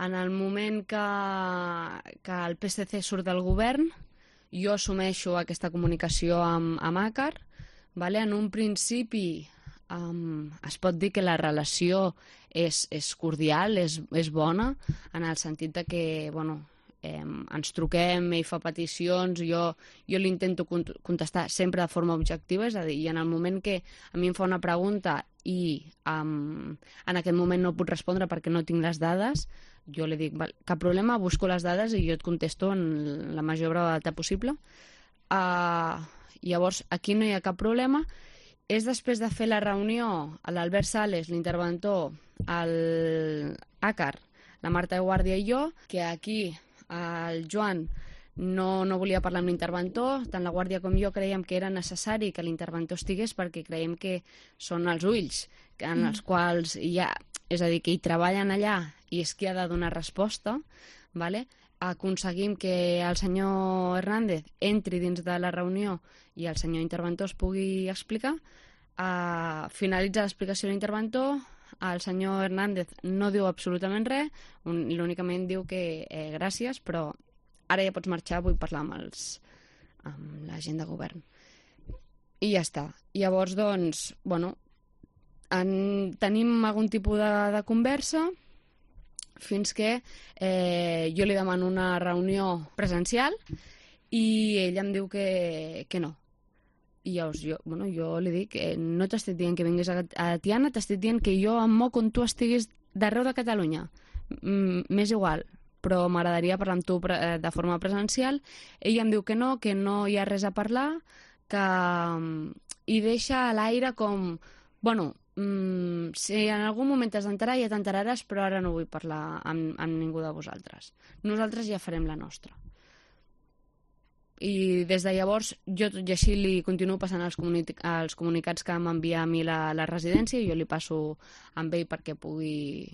En el moment que el PSC surt del govern, jo assumeixo aquesta comunicació amb Acar. En un principi es pot dir que la relació és cordial, és bona, en el sentit de que ens truquem, ell fa peticions, jo li intento contestar sempre de forma objectiva, és a dir, i en el moment que a mi em fa una pregunta i en aquest moment no puc respondre perquè no tinc les dades, jo li dic, cap problema, busco les dades i jo et contesto en la major brevetat possible. Llavors, aquí no hi ha cap problema. És després de fer la reunió a l'Albert Sales, l'interventor, l'Acar, la Marta Guàrdia i jo, que aquí el Joan no volia parlar amb l'interventor, tant la Guàrdia com jo creiem que era necessari que l'interventor estigués perquè creiem que són els ulls en els quals hi ha, és a dir, que hi treballen allà i és qui ha de donar resposta, aconseguim que el senyor Hernández entri dins de la reunió i el senyor interventor es pugui explicar. Finalitza l'explicació de l'interventor, el senyor Hernández no diu absolutament res, únicament diu que gràcies, però ara ja pots marxar, vull parlar amb la gent de govern. I ja està. Llavors, doncs, tenim algun tipus de conversa fins que jo li demano una reunió presencial i ell em diu que no. I llavors jo li dic, no t'estic dient que vinguis a Tiana, t'estic dient que jo em moc on tu estiguis d'arreu de Catalunya. M'és igual, però m'agradaria parlar amb tu de forma presencial. Ell em diu que no hi ha res a parlar, i deixa a l'aire com, si en algun moment t'has d'enterar, ja t'enteraràs, però ara no vull parlar amb ningú de vosaltres. Nosaltres ja farem la nostra. I des de llavors jo tot i així li continuo passant els comunicats que m'envia a mi la residència i jo li passo amb ell perquè pugui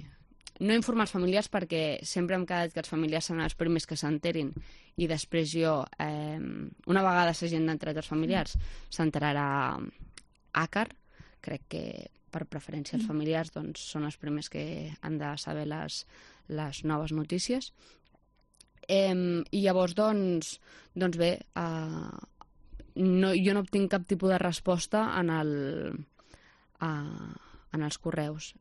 no informar els familiars perquè sempre hem quedat que els familiars seran els primers que s'enterin i després jo, una vegada s'hagin d'entrar els familiars, s'enterarà Acar. Crec que per preferència els familiars són els primers que han de saber les noves notícies. I llavors, doncs bé, jo no obtinc cap tipus de resposta en els correus.